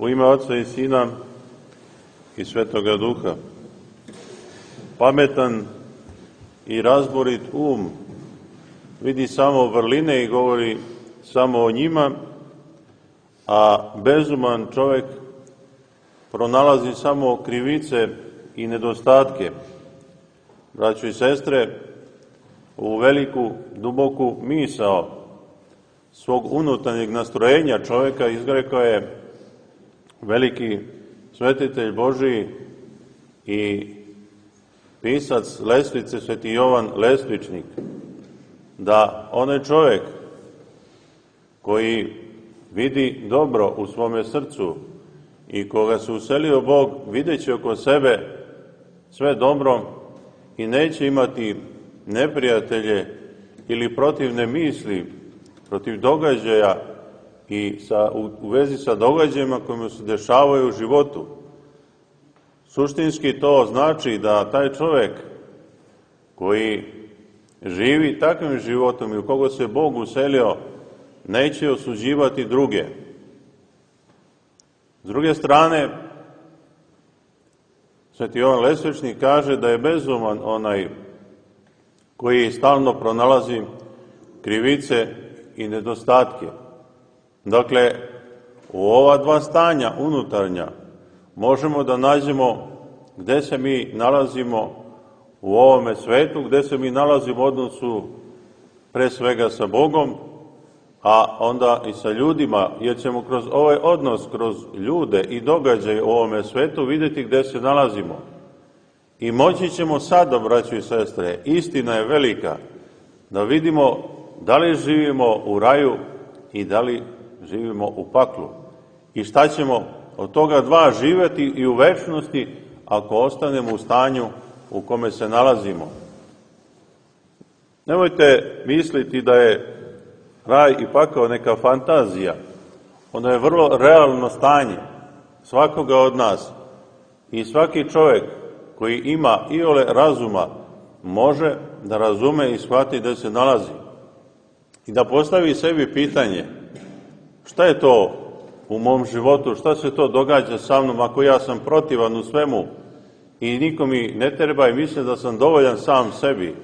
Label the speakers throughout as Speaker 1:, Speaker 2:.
Speaker 1: U ime Oca i Sina i Svetoga Duha. Pametan i razborit vidi samo vrline i govori samo o njima, a bezuman čovjek pronalazi samo krivice i nedostatke. Braćo i sestre, u veliku, duboku misao svog unutarnjeg nastrojenja čovjeka izrekao je veliki svetitelj Božiji i pisac Lestvice, Sveti Jovan Lestvičnik, da onaj čovjek koji vidi dobro u svome srcu i koga se uselio Bog, videći oko sebe sve dobro i neće imati neprijatelje ili protivne misli, protiv događaja i u vezi sa događajima koji mu se dešavaju u životu. Suštinski to znači da taj čovjek koji živi takvim životom i u koga se Bog uselio, neće osuđivati druge. S druge strane, Sveti Jovan Lestvičnik kaže da je bezuman onaj koji stalno pronalazi krivice i nedostatke. Dakle, u ova dva stanja unutarnja možemo da nađemo gde se mi nalazimo u ovome svetu, gde se mi nalazimo u odnosu pre svega sa Bogom, a onda i sa ljudima, jer ćemo kroz ovaj odnos, kroz ljude i događaje u ovome svetu vidjeti gde se nalazimo. I moći ćemo sada, braćo i sestre, istina je velika, da vidimo da li živimo u raju i da li živimo u paklu. I šta ćemo od toga dva živjeti i u večnosti ako ostanemo u stanju u kome se nalazimo. Nemojte misliti da je raj i pakao neka fantazija. Ono je vrlo realno stanje svakoga od nas. I svaki čovjek koji ima iole razuma može da razume i shvati da se nalazi. I da postavi sebi pitanje, šta je to u mom životu, šta se to događa sa mnom ako ja sam protivan u svemu i niko mi ne treba i mislim da sam dovoljan sam sebi.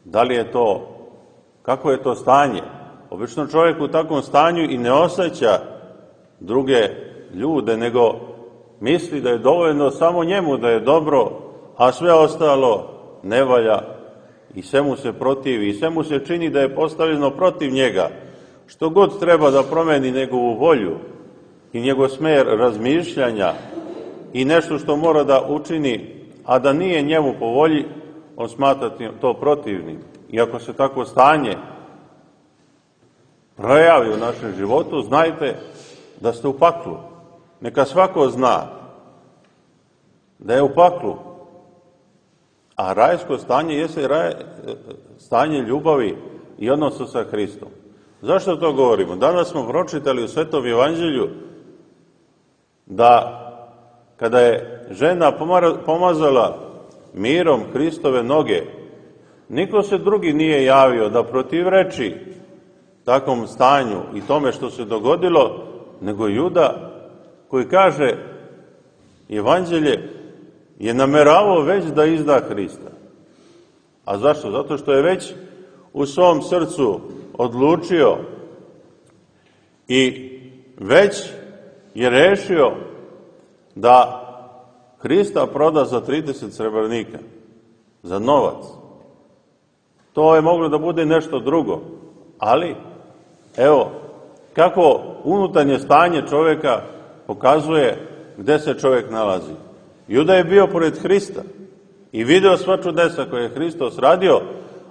Speaker 1: Da li je to, kako je to stanje? Obično čovjek u takvom stanju i ne osjeća druge ljude, nego misli da je dovoljno samo njemu da je dobro, a sve ostalo ne valja i sve mu se protivi i sve mu se čini da je postavljeno protiv njega. Što god treba da promeni njegovu volju i njegov smer razmišljanja i nešto što mora da učini, a da nije njemu po volji, on smatra to protivnim. I ako se tako stanje projavi u našem životu, znajte da ste u paklu. Neka svako zna da je u paklu. A rajsko stanje jeste stanje ljubavi i odnosa sa Hristom. Zašto to govorimo? Danas smo pročitali u Svetom Evanđelju da kada je žena pomazala mirom Hristove noge, niko se drugi nije javio da protivreči takvom stanju i tome što se dogodilo, nego Juda koji kaže Evanđelje je nameravao već da izda Hrista. A zašto? Zato što je već u svom srcu odlučio i već je rešio da Hrista proda za 30 srebrnika, za novac. To je moglo da bude nešto drugo, ali evo kako unutarnje stanje čovjeka pokazuje gde se čovjek nalazi. Juda je bio pored Hrista i video sva čudesa koje je Hristos radio,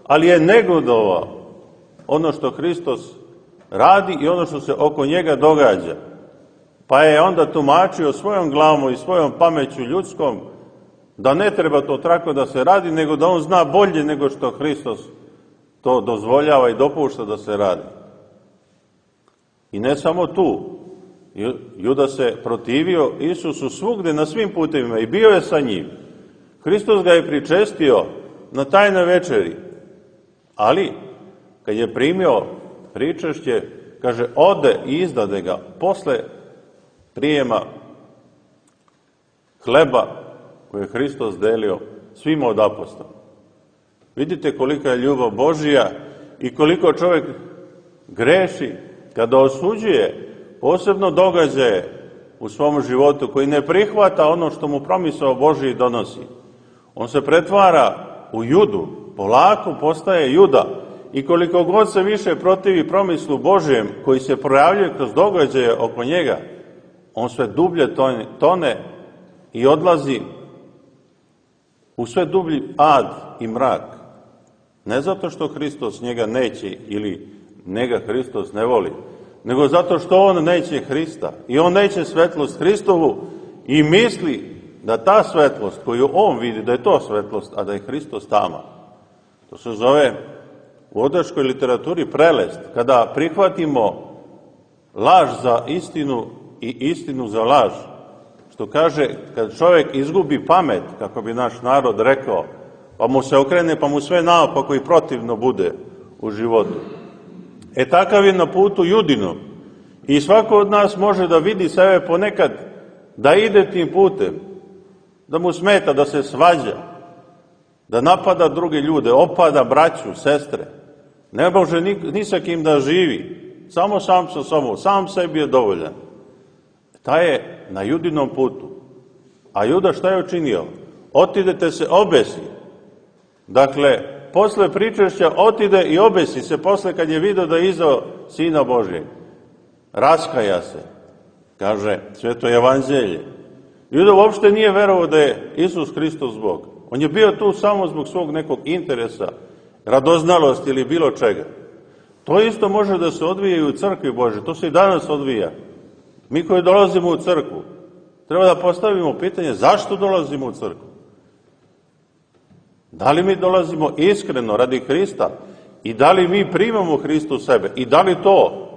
Speaker 1: ali je negodovao ono što Hristos radi i ono što se oko njega događa. Pa je onda tumačio svojom glavom i svojom pameću ljudskom da ne treba to tako da se radi, nego da on zna bolje nego što Hristos to dozvoljava i dopušta da se radi. I ne samo tu. Juda se protivio Isusu svugde na svim putevima i bio je sa njim. Hristos ga je pričestio na tajnoj večeri, ali kad je primio pričešće, kaže, ode i izdade ga posle prijema hleba koje je Hristos delio svima od apostola. Vidite kolika je ljubav Božija i koliko čovjek greši kada osuđuje posebno događaje u svom životu koji ne prihvata ono što mu promisao Božiji donosi. On se pretvara u Judu, polako postaje Juda i koliko god se više protivi promislu Božijem koji se projavljuje kroz događaje oko njega, on sve dublje tone i odlazi u sve dublji ad i mrak. Ne zato što Hristos njega neće ili njega Hristos ne voli, nego zato što on neće Hrista i on neće svetlost Hristovu i misli da ta svetlost koju on vidi, da je to svetlost, a da je Hristos tama. To se zove u odaškoj literaturi prelest, kada prihvatimo laž za istinu i istinu za laž. Što kaže, kad čovjek izgubi pamet, kako bi naš narod rekao, pa mu se okrene, pa mu sve naopako i protivno bude u životu. Takav je na putu Judinom. I svako od nas može da vidi sebe ponekad da ide tim putem, da mu smeta, da se svađa, da napada druge ljude, opada braću, sestre. Ne može ni sa kim da živi, samo sam sa sobom, sam sebi je dovoljan. Taj je na Judinom putu. A Juda šta je učinio? Otidete se obesi. Dakle, posle pričešća otide i obesi se, posle kad je vidio da je izdao Sina Božjeg. Raskaja se, kaže Sveto evanđelje. Juda uopšte nije verovao da je Isus Hristos Bog. On je bio tu samo zbog svog nekog interesa, radoznalosti ili bilo čega. To isto može da se odvija i u crkvi Božje, to se i danas odvija. Mi koji dolazimo u crkvu, treba da postavimo pitanje zašto dolazimo u crkvu. Da li mi dolazimo iskreno radi Hrista i da li mi primamo Hristu u sebe i da li to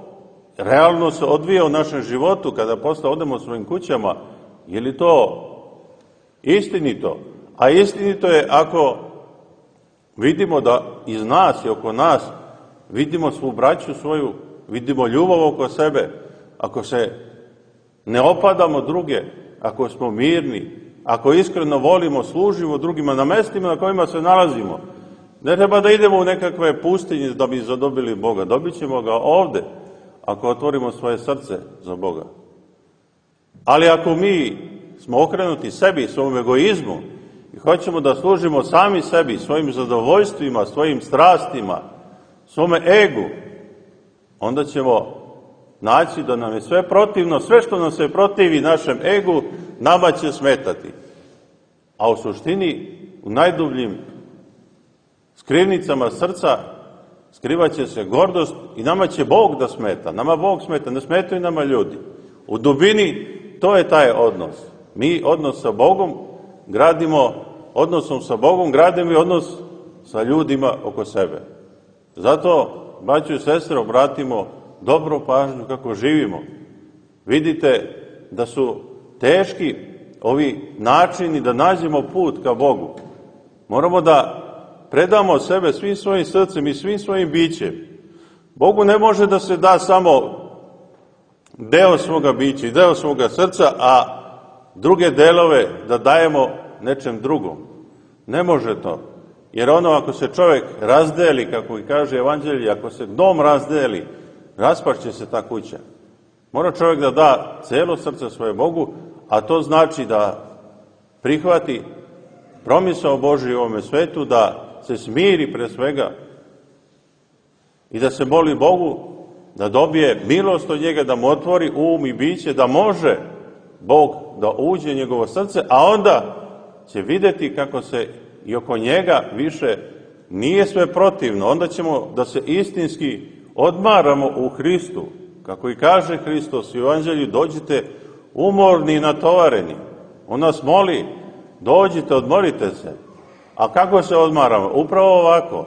Speaker 1: realno se odvija u našem životu kada posle odemo svojim kućama, je li to istinito? A istinito je ako vidimo da iz nas i oko nas vidimo svu braću svoju, vidimo ljubav oko sebe, ako se ne opadamo druge, ako smo mirni, ako iskreno volimo, služimo drugima na mestima na kojima se nalazimo. Ne treba da idemo u nekakve pustinje da bi zadobili Boga. Dobit ćemo ga ovde, ako otvorimo svoje srce za Boga. Ali ako mi smo okrenuti sebi, svom egoizmu i hoćemo da služimo sami sebi, svojim zadovoljstvima, svojim strastima, svome egu, onda ćemo naći da nam je sve protivno, sve što nam se protivi našem egu, nama će smetati. A u suštini, u najdubljim skrivnicama srca skrivaće se gordost i nama će Bog da smeta. Nama Bog smeta, ne smetaju nama ljudi. U dubini to je taj odnos. Mi odnos sa Bogom gradimo, odnosom sa Bogom gradimo i odnos sa ljudima oko sebe. Zato, braćo i sestre, obratimo dobru pažnju kako živimo. Vidite da su teški ovi načini da nađemo put ka Bogu. Moramo da predamo sebe svim svojim srcem i svim svojim bićem. Bogu ne može da se da samo deo svoga bića i deo svoga srca, a druge delove da dajemo nečem drugom. Ne može to. Jer ono ako se čovjek razdeli, kako i kaže evanđelje, ako se dom razdeli, raspašće se ta kuća. Mora čovjek da da celo srce svoje Bogu, a to znači da prihvati promisao Božji u ovome svetu, da se smiri pre svega i da se moli Bogu da dobije milost od njega, da mu otvori um i biće, da može Bog da uđe u njegovo srce, a onda će videti kako se i oko njega više nije sve protivno. Onda ćemo da se istinski odmaramo u Hristu. Kako i kaže Hristos u evanđelju, dođite umorni i natovareni. On nas moli, dođite, odmorite se. A kako se odmaramo? Upravo ovako.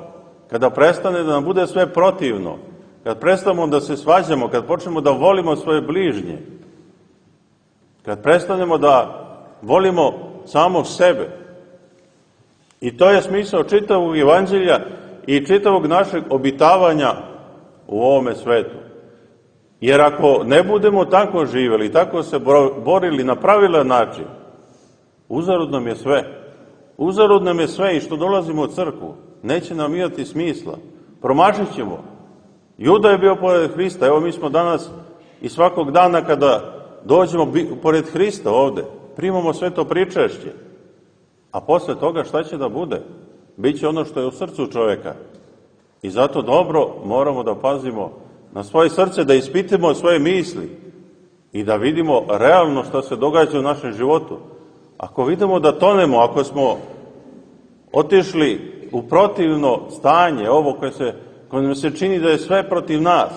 Speaker 1: Kada prestane da nam bude sve protivno, kad prestanemo da se svađamo, kad počnemo da volimo svoje bližnje, kad prestanemo da volimo samog sebe. I to je smisao čitavog evanđelja i čitavog našeg obitavanja u ovome svetu. Jer ako ne budemo tako živjeli, tako se borili na pravilan način, uzalud nam je sve. Uzalud nam je sve i što dolazimo u crkvu. Neće nam imati smisla. Promašit ćemo. Juda je bio pored Hrista. Evo mi smo danas i svakog dana kada dođemo pored Hrista ovde, primamo sve to pričešće. A posle toga šta će da bude? Biće ono što je u srcu čoveka. I zato dobro moramo da pazimo na svoje srce, da ispitimo svoje misli i da vidimo realno šta se događa u našem životu. Ako vidimo da tonemo, ako smo otišli u protivno stanje, ovo koje nam se čini da je sve protiv nas,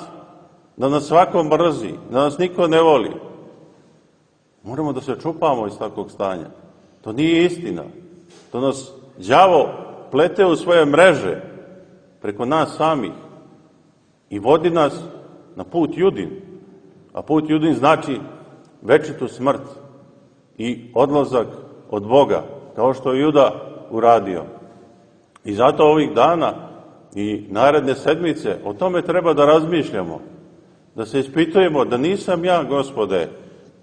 Speaker 1: da nas svako mrzi, da nas niko ne voli, moramo da se čupamo iz takvog stanja. To nije istina. To nas đavo plete u svoje mreže preko nas samih i vodi nas na put Judin. A put Judin znači večitu smrt i odlazak od Boga, kao što je Juda uradio. I zato ovih dana i naredne sedmice o tome treba da razmišljamo, da se ispitujemo da nisam ja, Gospode,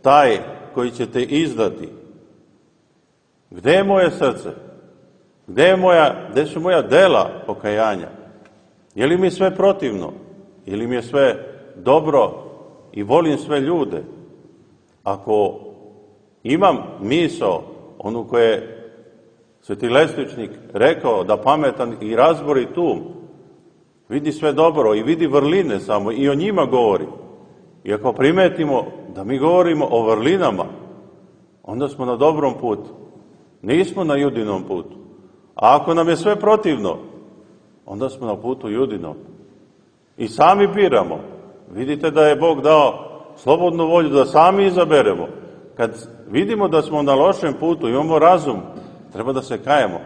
Speaker 1: taj koji će te izdati. Gde je moje srce? Gde su moja dela pokajanja? Je li mi sve protivno? Je li mi je sve dobro i volim sve ljude? Ako imam misao, onu koje je Sveti Lestičnik rekao, da pametan i razborit um vidi sve dobro i vidi vrline samo i o njima govori. I ako primetimo da mi govorimo o vrlinama, onda smo na dobrom putu. Nismo na Judinom putu. A ako nam je sve protivno, onda smo na putu Judinom. I sami biramo. Vidite da je Bog dao slobodnu volju da sami izaberemo. Kad vidimo da smo na lošem putu, imamo razum, treba da se kajemo.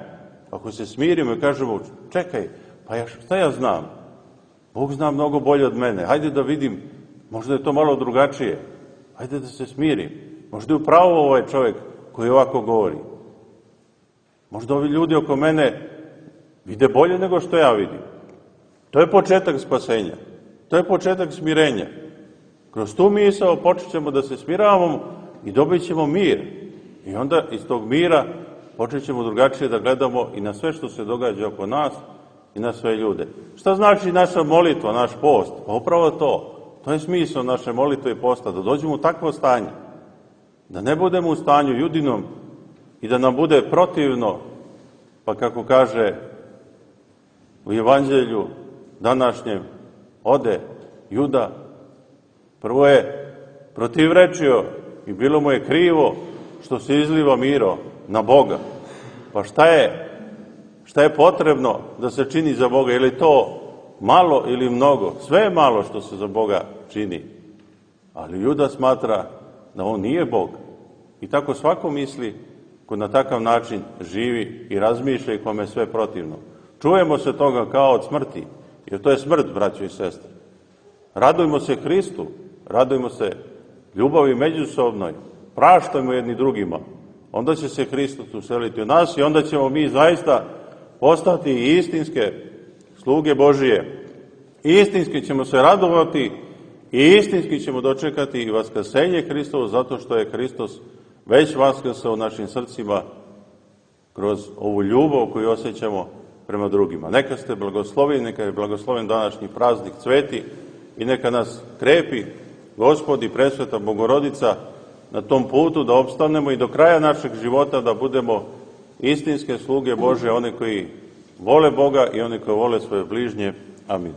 Speaker 1: Ako se smirimo i kažemo, čekaj, pa šta ja znam? Bog zna mnogo bolje od mene. Hajde da vidim, možda je to malo drugačije. Hajde da se smirim. Možda je upravo ovaj čovjek koji ovako govori. Možda ovi ljudi oko mene vide bolje nego što ja vidim. To je početak spasenja. To je početak smirenja. Kroz tu misao počet ćemo da se smiravamo i dobit ćemo mir. I onda iz tog mira počet ćemo drugačije da gledamo i na sve što se događa oko nas i na sve ljude. Šta znači naša molitva, naš post? Pa upravo to. To je smisao naše molitve i posta, da dođemo u takvo stanje. Da ne budemo u stanju Judinom i da nam bude protivno, pa kako kaže u evanđelju današnjem, ode Juda, prvo je protivrečio i bilo mu je krivo što se izliva miro na Boga. Pa šta je potrebno da se čini za Boga? Je li to malo ili mnogo? Sve je malo što se za Boga čini. Ali Juda smatra da on nije Bog. I tako svako misli ko na takav način živi i razmišlja i kome je sve protivno. Čujemo se toga kao od smrti, jer to je smrt, braćo i sestre. Radujmo se Hristu, radujmo se ljubavi međusobnoj, praštajmo jedni drugima. Onda će se Hristos useliti u nas i onda ćemo mi zaista postati istinske sluge Božije. Istinski ćemo se radovati i istinski ćemo dočekati i vaskrsenje Hristovo, zato što je Hristos već vaskrsao u našim srcima kroz ovu ljubav koju osjećamo prema drugima. Neka ste blagosloveni, neka je blagosloven današnji praznik Sveti i neka nas krepi Gospod i Presveta Bogorodica na tom putu da opstanemo i do kraja našeg života da budemo istinske sluge Božje, one koji vole Boga i one koji vole svoje bližnje. Amin.